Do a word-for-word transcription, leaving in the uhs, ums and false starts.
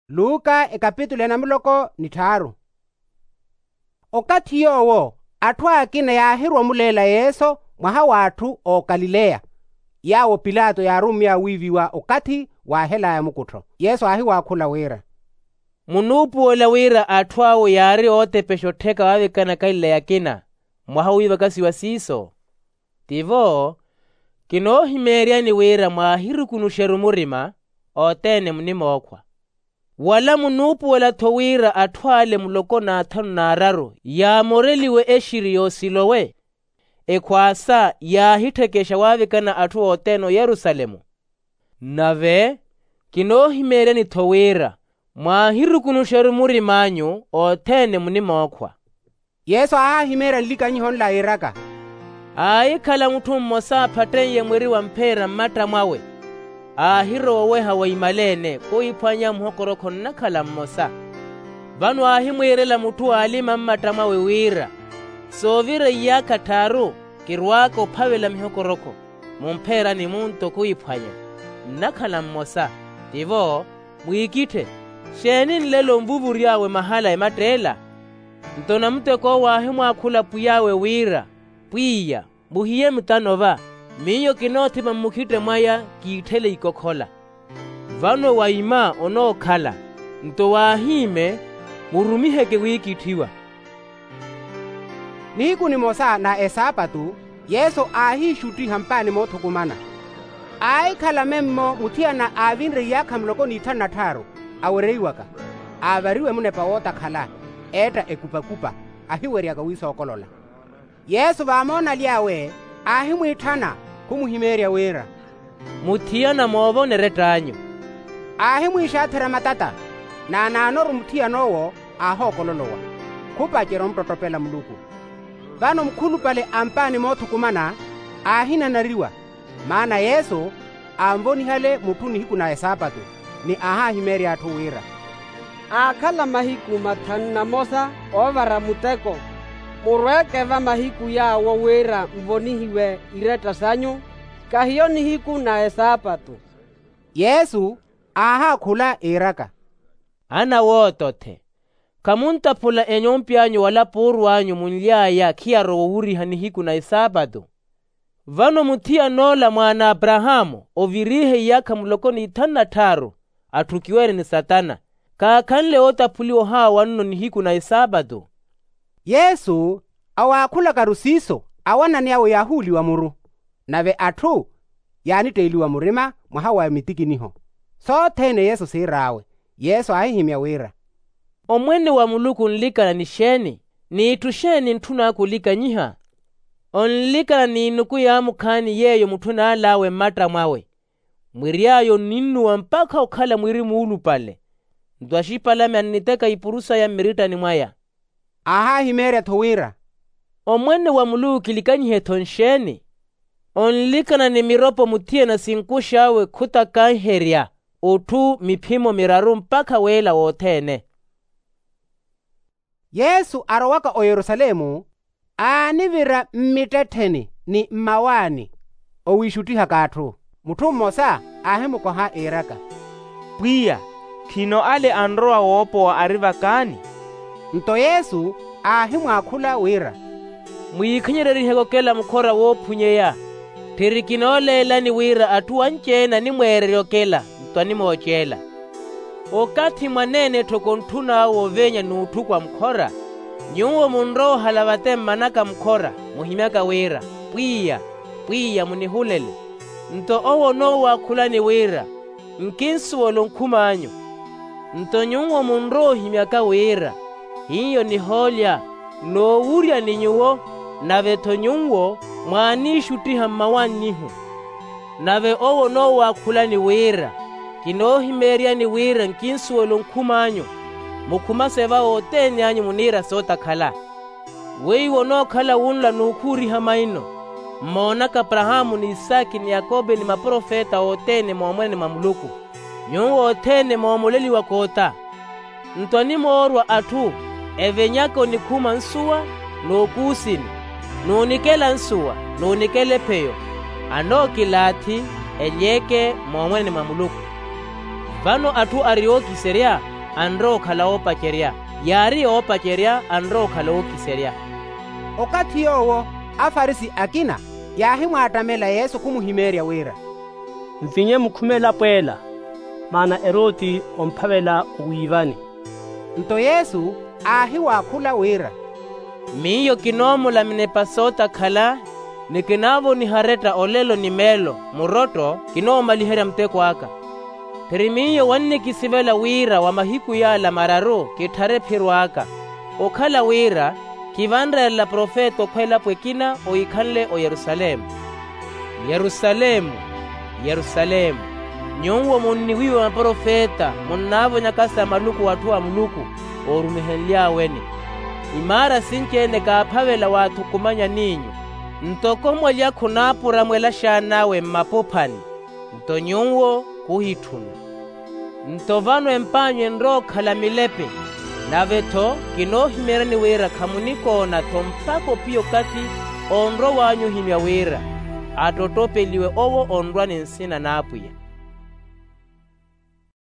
Luka ekapitulu ya namuloko ni tthaaru. Okathi yoowo atthu akina yaahirwa omuleela yesu mwaha w'atthu a okalileya, yaawo pilato yaarummy'awe wiiviwa okathi waahel'aya mukuttho. Yesu aahiwaakhula wira, munuupuwela wira atthu awo yaari ootepexa ottheka waavikana akalileya akina mwaha wiivakasiwa siiso? Tivo, kinoohimeeryani wira mwaahirukunuxeru murima othene munimookhwa. Wala munuupuwela-tho wira atthu ale muloko n'athanu n'araru yaamoreliwe exiri y'osilowe, ekhwaasa yaahitthekexa waavikana atthu othene oyerusalemu. Nave kinoohimeeryani-tho wira mwaahirukunuxeru murim'anyu othene munimookhwa. Yesu aahahimeerya nlikanyiho nla iiraka, aahikhala mutthu mmosa aphatten'ye mwiri wa mpheera mmattamw'awe, aahirowa oweha wa imala-ene khuhiphwanya muhokorokho nnakhala mmosa. Vano aahimwiirela mutthu aalima mmattamw'awe wira, soovira iyaakha tthaaru kirwaaka ophavela mihokorokho mumpheerani munto khuhiphwanya nnakhala mmosa. Tivo, mwiikitthe, xeeni nlelo onvuvury'awe mahala ematteela? Nto namutek'owo aahimwaakhula pwiy'awe wira, pwiya, muhiye mutano va, miyo kinoothima mmukhitte mwaya kiitthele ikokhola. Vano waima onookhala, nto waahiime murumiheke wiikitthiwa. Nihiku nimosa na esaapatu, yesu aahiixuttiha mpaani moothukumana. Aahikhala memmo muthiyana aavinre iyaakha muloko n'ithanu na tthaaru, awereiwaka, aavariwe munepa wootakhala, eetta ekupakupa, ahiweryaka wiisookolola. Yesu vaamoonaly'awe, aahimwiitthana, khumuhimeerya wira, muthiyana moovonere ett'anyu. Aahimwiixaatherya matata, naanaanoru muthiyan'owo aahookololowa, khupacerya omuttottopela muluku. Vano mukhulupale a mpaani moothukumana aahinanariwa, maana yesu aanvonihale mutthu nihiku na esaapatu, ni aahahimeerya atthu wira, aakhala mahiku mathanu na mosa oovara muteko, murweeke va mahiku yaawo wira nvonihiwe iretta sanyu, kahiyo nihiku na esaapatu. Yesu aahaakhula iiraka, ana woottothe, khamuntaphula enyompi anyu wala puuru anyu munly'aya khiyarowa owuriha nihiku na esaapatu? Vano muthiyan'ola mwaana a aparahaamu oviriihe iyaakha muloko n'ithanu na tthaaru, atthukiwene ni satana, kaakhanle ootaphuliwa ohaawa nno nihiku na esaapatu. Yesu awaakhulakaru siiso, awanani awe yaahuuliwa muru, nave atthu yaanitteeliwa murima mwaha wa mitikiniho. Sothene yesu siir'awe, yesu aahihimya wira, omwene wa muluku onlikana ni xeeni? N'itthu xeeni ntthun'aka olikanyiha? Onlikana n'inuku yaamukhaani yeeyo mutthu anaal'awe mmattamw'awe, mwiry'aya onninnuwa mpakha okhala mwiri muulupale, nto axipalame anniteka ipuru saya mmirittani mwaya. Aahahimeerya-tho wira, omwene wa muluku kilikanyihe-tho nxeeni? Onlikana ni miropo muthiyana sinkux'awe khutakanherya otthu miphimo miraru mpakha weela wothene. Yesu arowaka oyerusalemu, aanivira mmittettheni ni mmawaani, owiixuttihaka atthu. Mutthu mmosa aahimukoha iiraka, pwiya, khino ale anrowa woopowa ari vakaani? Nto yesu aahimwaakhula wira, mwiikhanyereryiheke okela mukhora woophunyeya. Tthiri kinooleelani wira atthu anci-ene animweererya okela nto animooceela. Okathi mwaneene-tthoko ntthun'awe oveenya n'utthuku a mukhora, nyuwo munrowa ohala vate mmanaka mukhora, muhimyaka wira, pwiya, pwiya munihulele. Nto owo onoowakhulani wira, nkinsuwela onkhum'anyu. Nto nyuwo munrowa ohimyaka wira, hiyo nihoolya, noowurya ni nyuwo, nave-tho nyuwo mwaaniixuttiha mmawann'ihu. Nave owo onoowakhulani wira, kinoohimeeryani wira nkinsuwela onkhum'anyu, mukhumase va othene anyu muniira sootakhala. Weiwo onookhala wunla n'ukhuuriha maino, mmoonaka aparahaamu n'isaki n'yakope ni maprofeta othene moomwene mwa muluku, nyuwo othene moomoleliwaka ota. Nto animoorwa atthu evenyaka onikhuma nsuwa, n'ukuusini, n'unikela nsuwa, n'unikela epheyo, anookilaathi, elyeke moomwene mwa muluku. Vano atthu ari ookiserya anrowa okhala oopacerya. Yaari yoopacerya anrowa okhala ookiserya. Okathi yoowo afarisi akina yaahimwaattamela yesu khumuhimeerya wira, nvinye mukhume elapo ela, maana eroti omphavela owiivani. Nto yesu aahiwaakhula wira, miyo kinoomulamina epasoota khala, ni kinaavoniha aretta olelo ni meelo murotto kinoomaliherya muteko aka. Phiri miyo wannikisivela wira wa mahiku yaala mararu kitthare ephiro aka, okhala wira kivanreerela profeta okhwa elapo ekina oikhanle oyerusalemu. Yerusalemu, yerusalemu, nyuwo munniwiiwa maprofeta munnaavonyaka sa maluku w'atthu a muluku oorumehenly'awe-ni. Imaara sinci-ene kaaphavela waathukumanyani-nyu, ntoko mwalya khunaapuramwela axaan'awe mmapuphani, nto nyuwo khuhitthuna. Nto vano emp'anyu enrowa okhala milepe. Nave-tho kinoohimeeryani wira khamunikoona-tho mpakha ophiya okathi onrow'anyu ohimya wira, attottopeliwe owo onrwa ni nsina n'apwiya.